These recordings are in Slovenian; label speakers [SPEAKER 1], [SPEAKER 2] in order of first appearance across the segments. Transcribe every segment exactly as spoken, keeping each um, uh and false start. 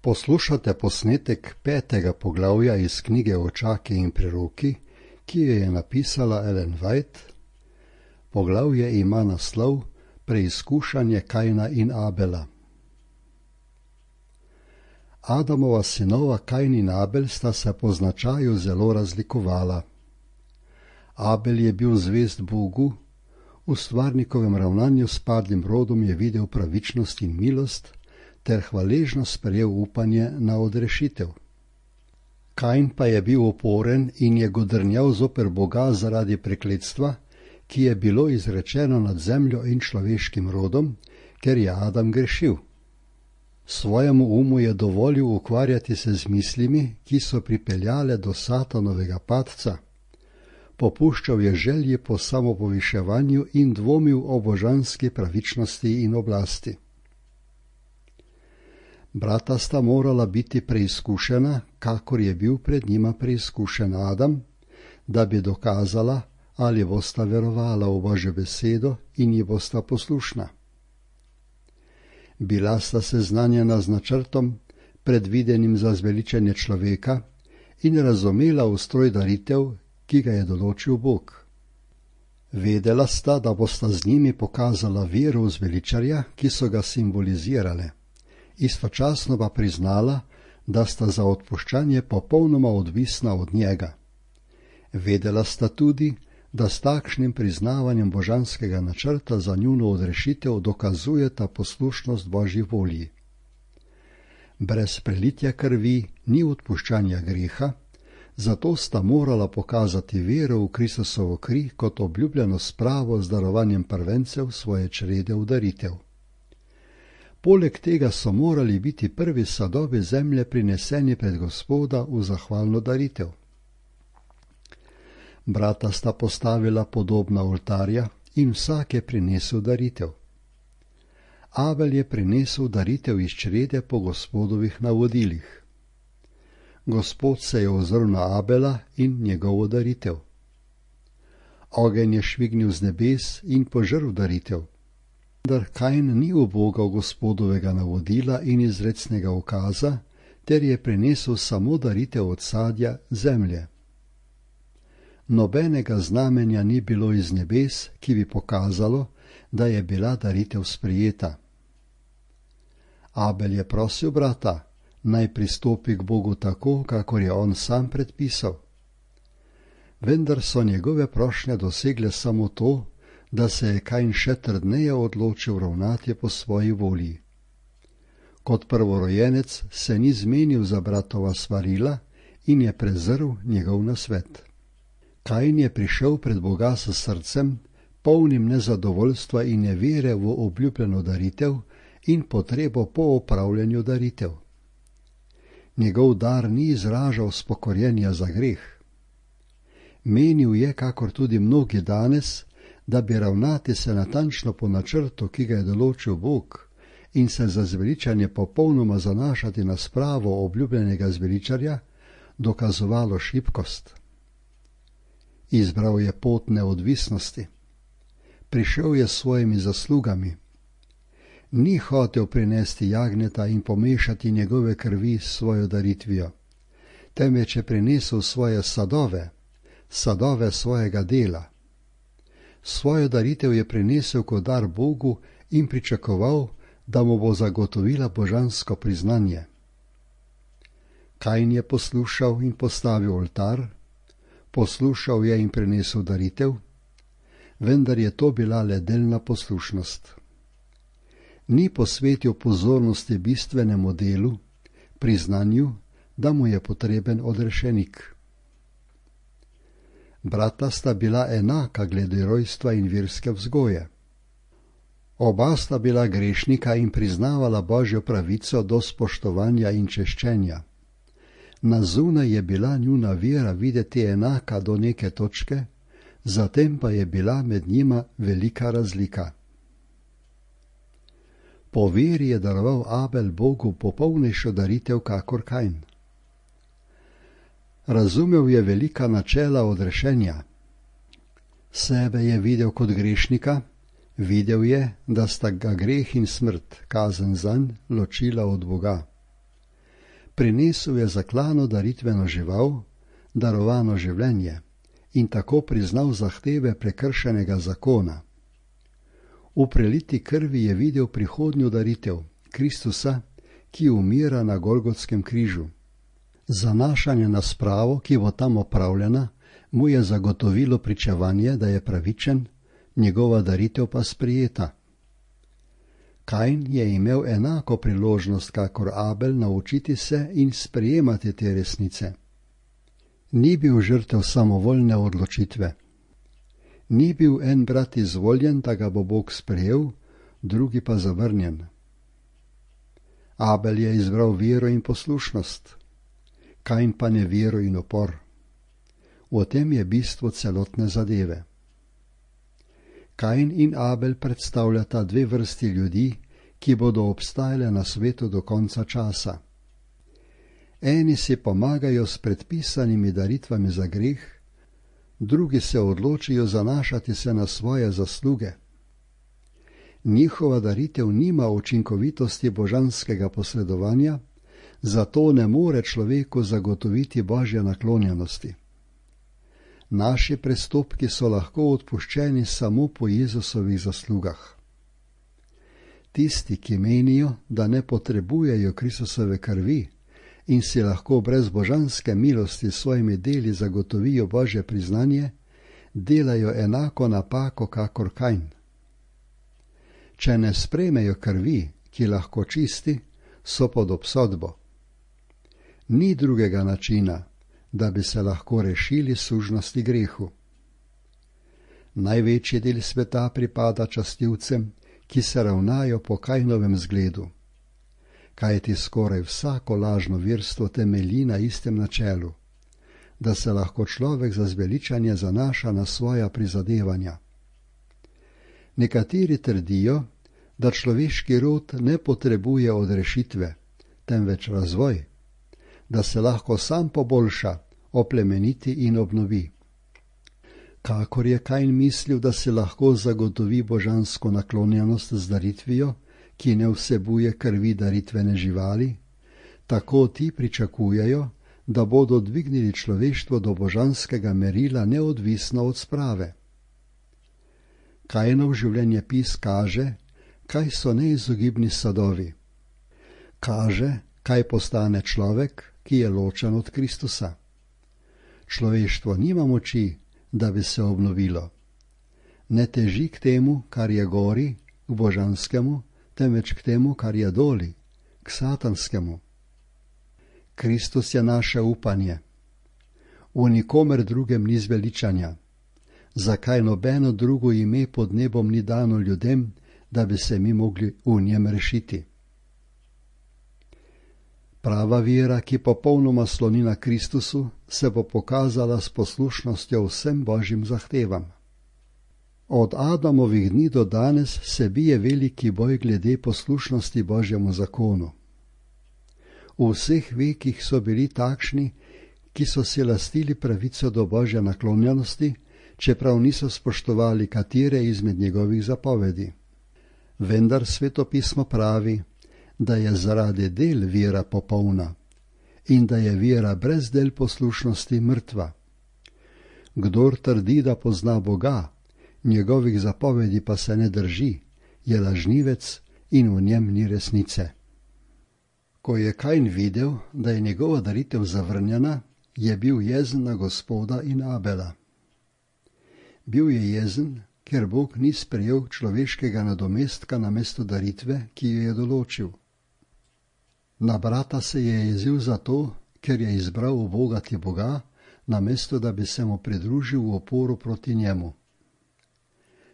[SPEAKER 1] Poslušate posnetek petega poglavja iz knjige Očaki in preroki, ki jo je napisala Ellen White. Poglavje ima naslov Preizkušanje Kajna in Abela. Adamova sinova Kajn in Abel sta se po značaju zelo razlikovala. Abel je bil zvest Bogu, v stvarnikovem ravnanju s padlim rodom je videl pravičnost in milost, ter hvaležno sprejel upanje na odrešitev. Kajn pa je bil oporen in je godrnjal zoper Boga zaradi prekletstva, ki je bilo izrečeno nad zemljo in človeškim rodom, ker je Adam grešil. Svojemu umu je dovolil ukvarjati se z mislimi, ki so pripeljale do Satanovega padca. Popuščal je želji po samopoviševanju in dvomil o božanski pravičnosti in oblasti. Brata sta morala biti preizkušena, kakor je bil pred njima preizkušen Adam, da bi dokazala, ali bosta verovala v Božjo besedo in ji bosta poslušna. Bila sta seznanjena z načrtom, predvidenim za zveličanje človeka, in razumela ustroj daritev, ki ga je določil Bog. Vedela sta, da bosta z njimi pokazala vero v zveličarja, ki so ga simbolizirale. Istočasno pa priznala, da sta za odpuščanje popolnoma odvisna od njega. Vedela sta tudi, da s takšnim priznavanjem božanskega načrta za njuno odrešitev dokazujeta poslušnost Božji volji. Brez prelitja krvi ni odpuščanja greha, zato sta morala pokazati vero v Kristusovo kri kot obljubljeno spravo z darovanjem prvencev svoje črede v daritev. Poleg tega so morali biti prvi sadovi zemlje prineseni pred Gospoda v zahvalno daritev. Brata sta postavila podobna oltarja in vsak je prinesel daritev. Abel je prinesel daritev iz črede po Gospodovih navodilih. Gospod se je ozrl na Abela in njegovo daritev. Ogenj je švignil z nebes in požrl daritev. Vendar Kajn ni ubogal Gospodovega navodila in izrecnega ukaza, ter je prinesel samo daritev od sadja zemlje. Nobenega znamenja ni bilo iz nebes, ki bi pokazalo, da je bila daritev sprejeta. Abel je prosil brata, naj pristopi k Bogu tako, kakor je on sam predpisal. Vendar so njegove prošnje dosegle samo to, da se je Kajn še trdneje odločil ravnati po svoji volji. Kot prvorojenec se ni zmenil za bratova svarila in je prezrl njegov nasvet. Kajn je prišel pred Boga s srcem, polnim nezadovoljstva in nevere v obljubljeno daritev in potrebo po opravljanju daritev. Njegov dar ni izražal spokorjenja za greh. Menil je, kakor tudi mnogi danes, da bi ravnati se natančno po načrtu, ki ga je določil Bog, in se za zveličanje popolnoma zanašati na spravo obljubljenega zveličarja, dokazovalo šibkost. Izbral je pot neodvisnosti. Prišel je s svojimi zaslugami. Ni hotel prinesti jagnjeta in pomešati njegove krvi s svojo daritvijo, temveč je prinesel svoje sadove, sadove svojega dela. Svojo daritev je prinesel kot dar Bogu in pričakoval, da mu bo zagotovila božansko priznanje. Kajn je poslušal in postavil oltar, poslušal je in prinesel daritev, vendar je to bila le delna poslušnost. Ni posvetil pozornosti bistvenemu delu, priznanju, da mu je potreben odrešenik. Brata sta bila enaka glede rojstva in verske vzgoje. Oba sta bila grešnika in priznavala Božjo pravico do spoštovanja in češčenja. Na zunaj je bila njuna vera videti enaka do neke točke, zatem pa je bila med njima velika razlika. Po veri je daroval Abel Bogu popolnejšo daritev kakor Kajn. Razumel je velika načela odrešenja. Sebe je videl kot grešnika, videl je, da sta ga greh in smrt, kazen zanj, ločila od Boga. Prinesel je zaklano daritveno žival, darovano življenje, in tako priznal zahteve prekršenega zakona. V preliti krvi je videl prihodnjo daritev, Kristusa, ki umira na Golgotskem križu. Zanašanje na spravo, ki bo tam opravljena, mu je zagotovilo pričevanje, da je pravičen, njegova daritev pa sprijeta. Kain je imel enako priložnost kakor Abel naučiti se in sprejemati te resnice. Ni bil žrtev samovoljne odločitve. Ni bil en brat izvoljen, da ga bo Bog sprejel, drugi pa zavrnjen. Abel je izbral vero in poslušnost, Kain pa nevero in upor. V tem je bistvo celotne zadeve. Kain in Abel predstavljata dve vrsti ljudi, ki bodo obstajale na svetu do konca časa. Eni si pomagajo s predpisanimi daritvami za greh, drugi se odločijo zanašati se na svoje zasluge. Njihova daritev nima učinkovitosti božanskega posredovanja, zato ne more človeku zagotoviti božje naklonjenosti. Naši prestopki so lahko odpuščeni samo po Jezusovih zaslugah. Tisti, ki menijo, da ne potrebujejo Kristusove krvi in si lahko brez božanske milosti s svojimi deli zagotovijo božje priznanje, delajo enako napako kakor Kain. Če ne sprejmejo krvi, ki lahko čisti, so pod obsodbo. Ni drugega načina, da bi se lahko rešili sužnosti grehu. Največji del sveta pripada častilcem, ki se ravnajo po Kainovem zgledu, kajti skoraj vsako lažno verstvo temelji na istem načelu, da se lahko človek za zveličanje zanaša na svoja prizadevanja. Nekateri trdijo, da človeški rod ne potrebuje odrešitve, temveč razvoj, da se lahko sam poboljša, oplemeniti in obnovi. Kakor je Kain mislil, da se lahko zagotovi božansko naklonjenost z daritvijo, ki ne vsebuje krvi daritvene živali, tako ti pričakujejo, da bodo dvignili človeštvo do božanskega merila neodvisno od sprave. Kainov življenjepis kaže, kaj so neizogibni sadovi. Kaže, kaj postane človek, ki je ločen od Kristusa. Človeštvo nima moči, da bi se obnovilo. Ne teži k temu, kar je gori, k božanskemu, temveč k temu, kar je doli, k satanskemu. Kristus je naše upanje. V nikomer drugem ni zveličanja. Zakaj nobeno drugo ime pod nebom ni dano ljudem, da bi se mi mogli v njem rešiti? Prava vera, ki popolnoma sloni na Kristusu, se bo pokazala s poslušnostjo vsem božjim zahtevam. Od Adamovih dni do danes se bije veliki boj glede poslušnosti božjemu zakonu. V vseh vekih so bili takšni, ki so si lastili pravico do božje naklonjenosti, čeprav niso spoštovali katere izmed njegovih zapovedi. Vendar svetopismo pravi, da je zaradi del vera popolna in da je vera brez del poslušnosti mrtva. Kdor trdi, da pozna Boga, njegovih zapovedi pa se ne drži, je lažnivec in v njem ni resnice. Ko je Kain videl, da je njegova daritev zavrnjena, je bil jezen na Gospoda in Abela. Bil je jezen, ker Bog ni sprejel človeškega nadomestka namesto daritve, ki jo je določil. Na brata se je jezil zato, ker je izbral ubogati Boga, namesto da bi se mu pridružil v oporu proti njemu.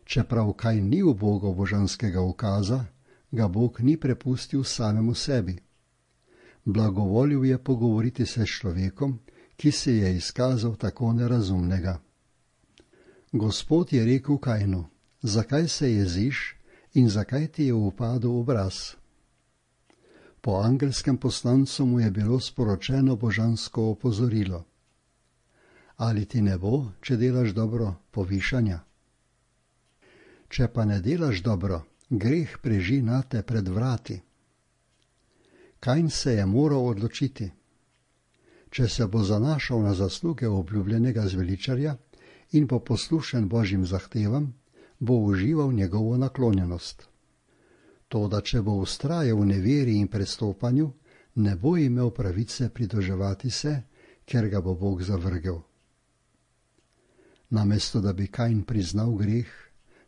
[SPEAKER 1] Čeprav Kain ni ubogal božanskega ukaza, ga Bog ni prepustil samemu sebi. Blagovolil je pogovoriti se s človekom, ki se je izkazal tako nerazumnega. Gospod je rekel Kainu, zakaj se jeziš in zakaj ti je upadel obraz? Po angelskem poslancu mu je bilo sporočeno božansko opozorilo. Ali ti ne bo, če delaš dobro, povišanja? Če pa ne delaš dobro, greh preži nate pred vrati. Kain se je moral odločiti. Če se bo zanašal na zasluge obljubljenega zveličarja in bo poslušen Božjim zahtevam, bo užival njegovo naklonjenost. Toda če bo vztrajal v neveri in prestopanju, ne bo imel pravice pridruževati se, ker ga bo Bog zavrgel. Namesto da bi Kain priznal greh,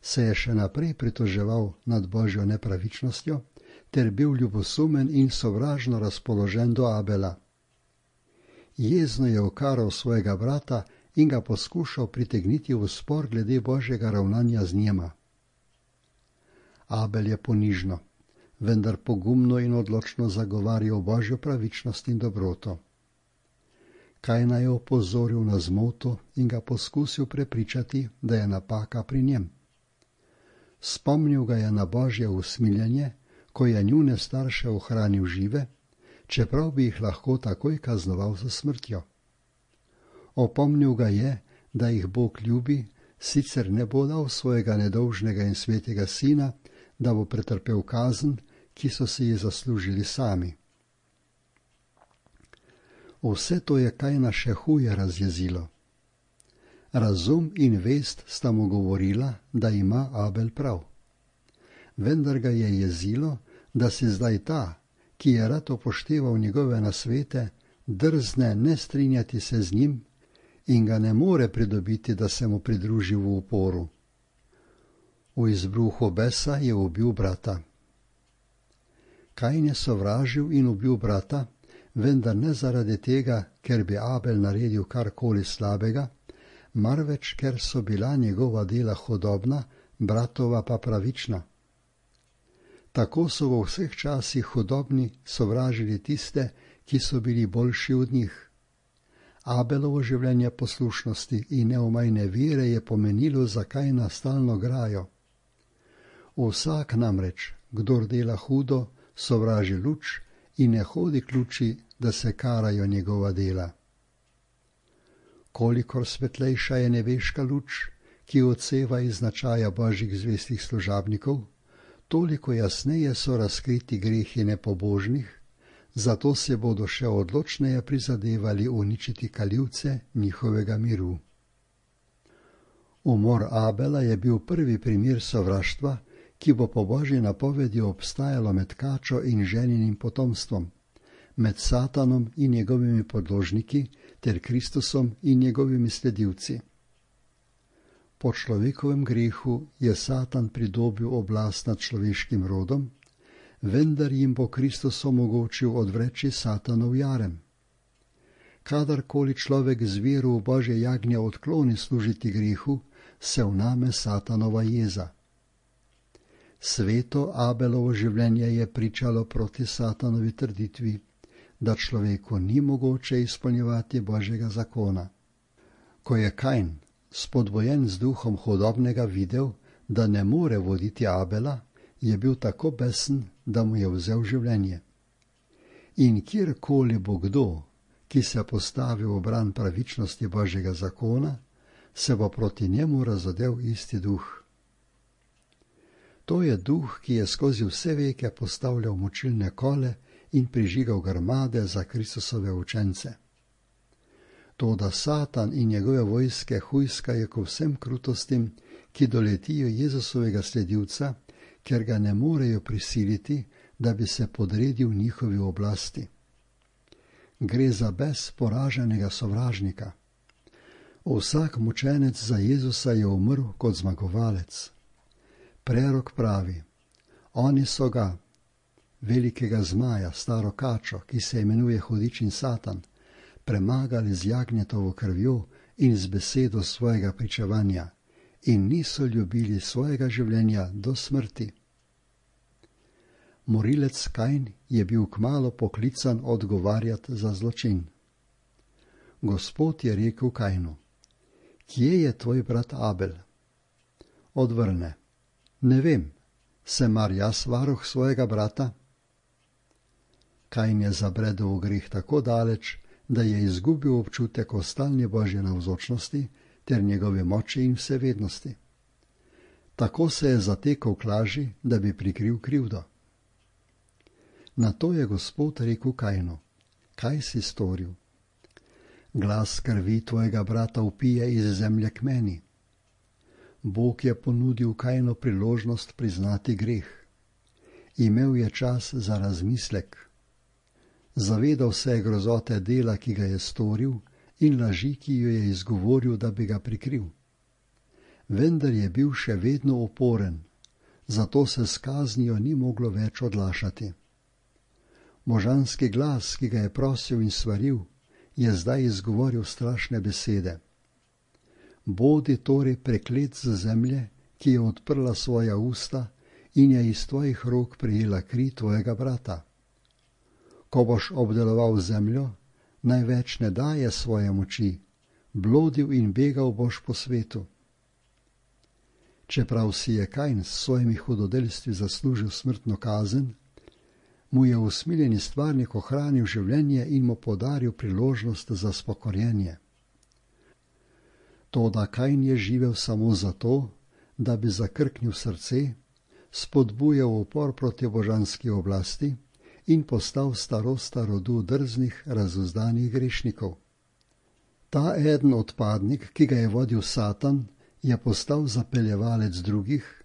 [SPEAKER 1] se je še naprej pritoževal nad Božjo nepravičnostjo ter bil ljubosumen in sovražno razpoložen do Abela. Jezno je okaral svojega brata in ga poskušal pritegniti v spor glede Božjega ravnanja z njima. Abel je ponižno, vendar pogumno in odločno zagovarjal Božjo pravičnost in dobroto. Kaina je opozoril na zmoto in ga poskusil prepričati, da je napaka pri njem. Spomnil ga je na Božje usmiljenje, ko je njune starše ohranil žive, čeprav bi jih lahko takoj kaznoval za smrtjo. Opomnil ga je, da jih Bog ljubi, sicer ne bo dal svojega nedolžnega in svetega sina, da bo pretrpel kazen, ki so si ji zaslužili sami. Vse to je Kaina še huje razjezilo. Razum in vest sta mu govorila, da ima Abel prav. Vendar ga je jezilo, da si zdaj ta, ki je rad upošteval njegove nasvete, drzne ne strinjati se z njim in ga ne more pridobiti, da se mu pridruži v uporu. V izbruhu besa je ubil brata. Kain je sovražil in ubil brata, vendar ne zaradi tega, ker bi Abel naredil karkoli slabega, marveč ker so bila njegova dela hudobna, bratova pa pravična. Tako so v vseh časih hudobni sovražili tiste, ki so bili boljši od njih. Abelovo življenje poslušnosti in neomajne vere je pomenilo za Kaina stalno grajo. Vsak namreč, kdor dela hudo, sovraži luč in ne hodi k luči, da se karajo njegova dela. Kolikor svetlejša je nebeška luč, ki odseva iz značaja Božjih zvestih služabnikov, toliko jasneje so razkriti grehi nepobožnih, zato se bodo še odločneje prizadevali uničiti kalivce njihovega miru. Umor Abela je bil prvi primer sovraštva, ki bo po Božji napovedi obstajalo med kačo in ženinim potomstvom, med Satanom in njegovimi podložniki ter Kristusom in njegovimi sledilci. Po človekovem grehu je Satan pridobil oblast nad človeškim rodom, vendar jim bo Kristus omogočil odvreči Satanov jarem. Kadarkoli človek z vero v Božje jagnje odkloni služiti grehu, se vname Satanova jeza. Sveto Abelovo življenje je pričalo proti Satanovi trditvi, da človeku ni mogoče izpolnjevati Božjega zakona. Ko je Kain, spodbojen z duhom hudobnega, videl, da ne more voditi Abela, je bil tako besen, da mu je vzel življenje. In kjerkoli bo kdo, ki se postavi v bran pravičnosti Božjega zakona, se bo proti njemu razodel isti duh. To je duh, ki je skozi vse veke postavljal močilne kole in prižigal grmade za Kristusove učence. Toda Satan in njegove vojske hujskajo k vsem krutostim, ki doletijo Jezusovega sledilca, ker ga ne morejo prisiliti, da bi se podredil njihovi oblasti. Gre za bes poraženega sovražnika. Vsak mučenec za Jezusa je umrl kot zmagovalec. Prerok pravi, oni so ga, velikega zmaja, staro kačo, ki se imenuje Hudič in Satan, premagali z jagnjetovo krvjo in z besedo svojega pričevanja in niso ljubili svojega življenja do smrti. Morilec Kain je bil kmalu poklican odgovarjati za zločin. Gospod je rekel Kainu, kje je tvoj brat Abel? Odvrne, ne vem, sem mar jaz varuh svojega brata? Kain je zabredel v greh tako daleč, da je izgubil občutek o stalni Božje navzočnosti ter njegove moči in vsevednosti. Tako se je zatekal k laži, da bi prikril krivdo. Nato je Gospod rekel Kainu: Kaj si storil? Glas krvi tvojega brata vpije iz zemlje k meni. Bog je ponudil Kainu priložnost priznati greh. Imel je čas za razmislek. Zavedal se je grozote dela, ki ga je storil, in laži, ki jo je izgovoril, da bi ga prikril. Vendar je bil še vedno uporen, zato se s kaznijo ni moglo več odlašati. Možanski glas, ki ga je prosil in svaril, je zdaj izgovoril strašne besede. Bodi torej preklet z zemlje, ki je odprla svoja usta in je iz tvojih rok prijela kri tvojega brata. Ko boš obdeloval zemljo, naj več ne daje svoje moči, blodil in begal boš po svetu. Čeprav si je Kain s svojimi hudodelstvi zaslužil smrtno kazen, mu je usmiljeni stvarnik ohranil življenje in mu podaril priložnost za spokorjenje. Toda Kain je živel samo zato, da bi zakrknil srce, spodbujal upor proti božanski oblasti in postal starosta rodu drznih, razuzdanih grešnikov. Ta eden odpadnik, ki ga je vodil Satan, je postal zapeljevalec drugih,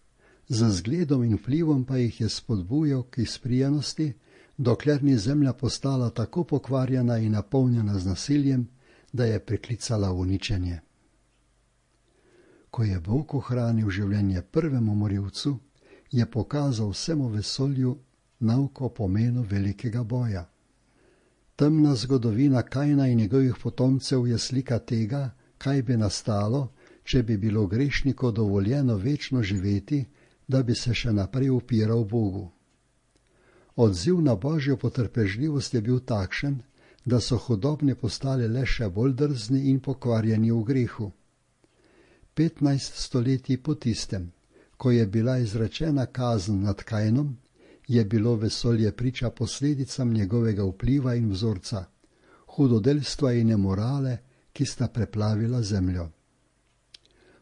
[SPEAKER 1] z zgledom in vplivom pa jih je spodbujal k izprijenosti, dokler ni zemlja postala tako pokvarjena in napolnjena z nasiljem, da je priklicala uničenje. Ko je Bog ohranil življenje prvemu morilcu, je pokazal vsemu vesolju nauko o pomenu velikega boja. Temna zgodovina Kaina in njegovih potomcev je slika tega, kaj bi nastalo, če bi bilo grešniku dovoljeno večno živeti, da bi se še naprej upiral Bogu. Odziv na Božjo potrpežljivost je bil takšen, da so hudobni postali le še bolj drzni in pokvarjeni v grehu. Petnajst stoletij po tistem, ko je bila izrečena kazen nad Kainom, je bilo vesolje priča posledicam njegovega vpliva in vzorca, hudodelstva in nemorale, ki sta preplavila zemljo.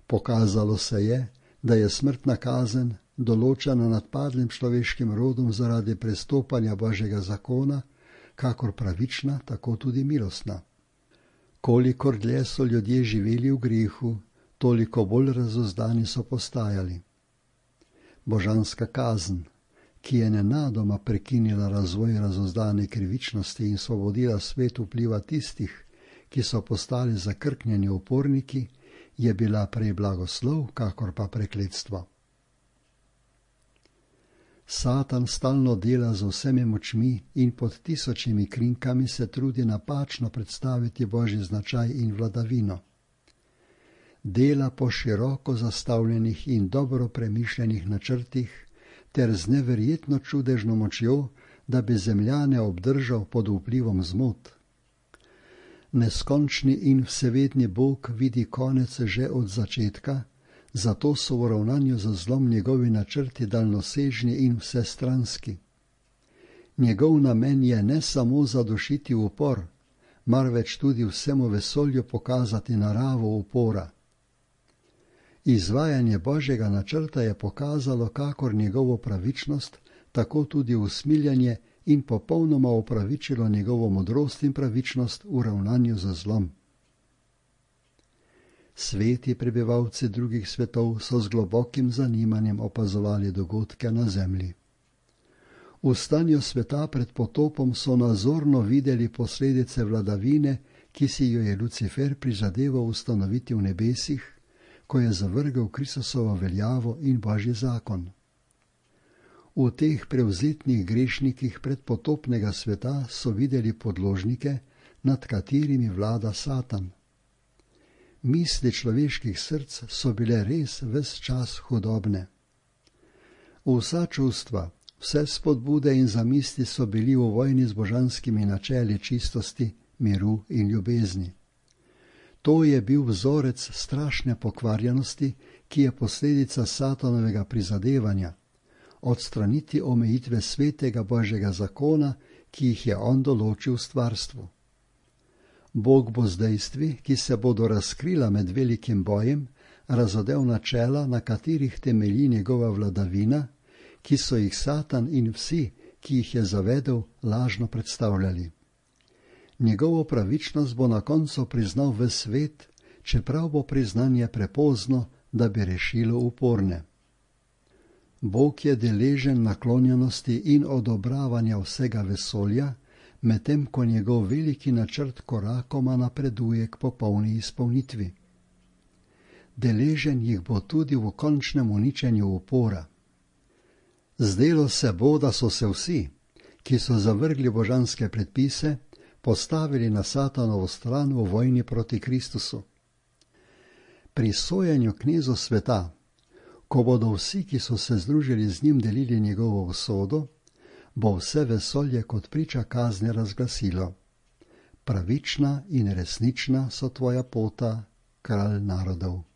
[SPEAKER 1] Pokazalo se je, da je smrtna kazen, določena nad padlim človeškim rodom zaradi prestopanja Božjega zakona, kakor pravična, tako tudi milostna. Kolikor dlje so ljudje živeli v grehu, toliko bolj razuzdani so postajali. Božanska kazen, ki je nenadoma prekinila razvoj razuzdane krivičnosti in svobodila svet vpliva tistih, ki so postali zakrknjeni uporniki, je bila prej blagoslov, kakor pa prekletstvo. Satan stalno dela z vsemi močmi in pod tisočimi krinkami se trudi napačno predstaviti Božji značaj in vladavino. Dela po široko zastavljenih in dobro premišljenih načrtih ter z neverjetno čudežno močjo, da bi zemljane obdržal pod vplivom zmot. Neskončni in vsevedni Bog vidi konec že od začetka, zato so v ravnanju za zlom njegovi načrti daljnosežni in vsestranski. Njegov namen je ne samo zadušiti upor, marveč tudi vsemu vesolju pokazati naravo upora. Izvajanje Božjega načrta je pokazalo kakor njegovo pravičnost, tako tudi usmiljanje in popolnoma opravičilo njegovo modrost in pravičnost v ravnanju za zlom. Sveti prebivalci drugih svetov so z globokim zanimanjem opazovali dogodke na zemlji. V stanju sveta pred potopom so nazorno videli posledice vladavine, ki si jo je Lucifer prizadeval ustanoviti v nebesih, ko je zavrgel Kristusovo veljavo in Božji zakon. V teh prevzetnih grešnikih predpotopnega sveta so videli podložnike, nad katerimi vlada Satan. Misli človeških src so bile res ves čas hudobne. Vsa čustva, vse spodbude in zamisli so bili v vojni z božanskimi načeli čistosti, miru in ljubezni. To je bil vzorec strašne pokvarjenosti, ki je posledica Satanovega prizadevanja, odstraniti omejitve svetega Božjega zakona, ki jih je on določil stvarstvu. Bog bo z dejstvi, ki se bodo razkrila med velikim bojem, razodel načela, na katerih temelji njegova vladavina, ki so jih Satan in vsi, ki jih je zavedel, lažno predstavljali. Njegovo pravičnost bo na koncu priznal ves svet, čeprav bo priznanje prepozno, da bi rešilo uporne. Bog je deležen naklonjenosti in odobravanja vsega vesolja, medtem ko njegov veliki načrt korakoma napreduje k popolni izpolnitvi. Deležen jih bo tudi v končnem uničenju upora. Zdelo se bo, da so se vsi, ki so zavrgli božanske predpise, postavili na Satanovo stran v vojni proti Kristusu. Pri sojenju knezu sveta, ko bodo vsi, ki so se združili z njim, delili njegovo usodo, bo vse vesolje kot priča kazni razglasilo: pravična in resnična so tvoja pota, kralj narodov.